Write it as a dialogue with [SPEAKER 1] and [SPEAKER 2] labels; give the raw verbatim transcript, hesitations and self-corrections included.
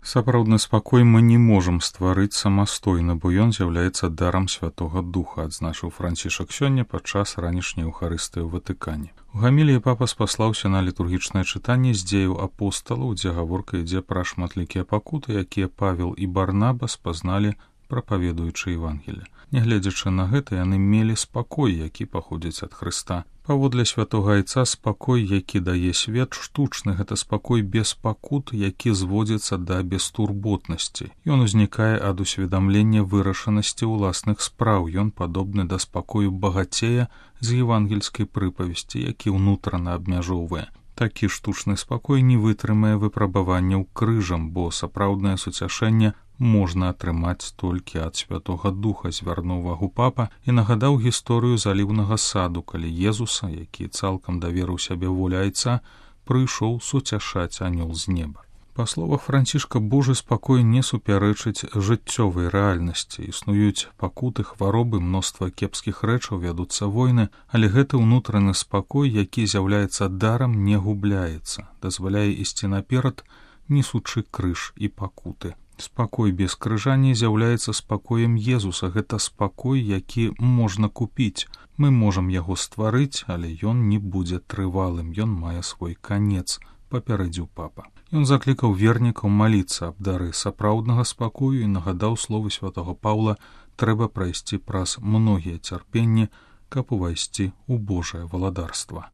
[SPEAKER 1] Сапраўдны спакой мы не можам стварыць самастойна, бо ён з'яўляецца дарам Святога Духа, адзначыў Францішак сёння падчас ранішняй еўхарыстыі ў Ватыкане. У гаміліі папа спаслаўся на літургічнае чытанне з дзеяў апосталаў, дзе гаворка ідзе пра шматлікія пакуты, якія Павел і Барнаба спазналі, прапаведуючы Евангелие. Нягледзячы на гэта, яны мелі спакой, які паходзіць ад Хрыста. Паводле святога айца спакой, які дае свет, штучны, гэта спакой без пакут, які зводзіцца да бестурботнасці. Ён узнікае ад усведамлення вырашанасці ўласных спраў. Ён падобны да спакою багацея з евангельскай прыпавесці, які ўнутрана абмяжоўвае. Такі штучны спакой не вытрымае выпрабаванняў крыжам, бо сапраўднае суцяшэнне можна атрымаць толькі ад Святога Духа, звярнуў увагу папа і нагадаў гісторыю заліўнага саду, калі Езуса, які цалкам даверыў сябе волі айца, прыйшоў суцяшаць анёл з неба. Па словах Францішка, Божы спакой не супярэчыць жыццёвай рэальнасці. Існуюць пакуты, хваробы, мноства кепскіх рэчаў, вядуцца войны, але гэты ўнутраны спакой, які з'яўляецца дарам, не губляецца, дазваляе ісці наперад, несучы крыж і пакуты. Спакой без крыжа не з'яўляецца спакоем Езуса, гэта спакой, які можна купіць. Мы можам яго стварыць, але ён не будзе трывалым, ён мае свой канец, папярэдзіў папа. Ён заклікаў вернікаў маліцца аб дары сапраўднага спакою і нагадаў словы святого Паўла: трэба прайсці праз многія цярпенні, каб увайсці ў Божае валадарства.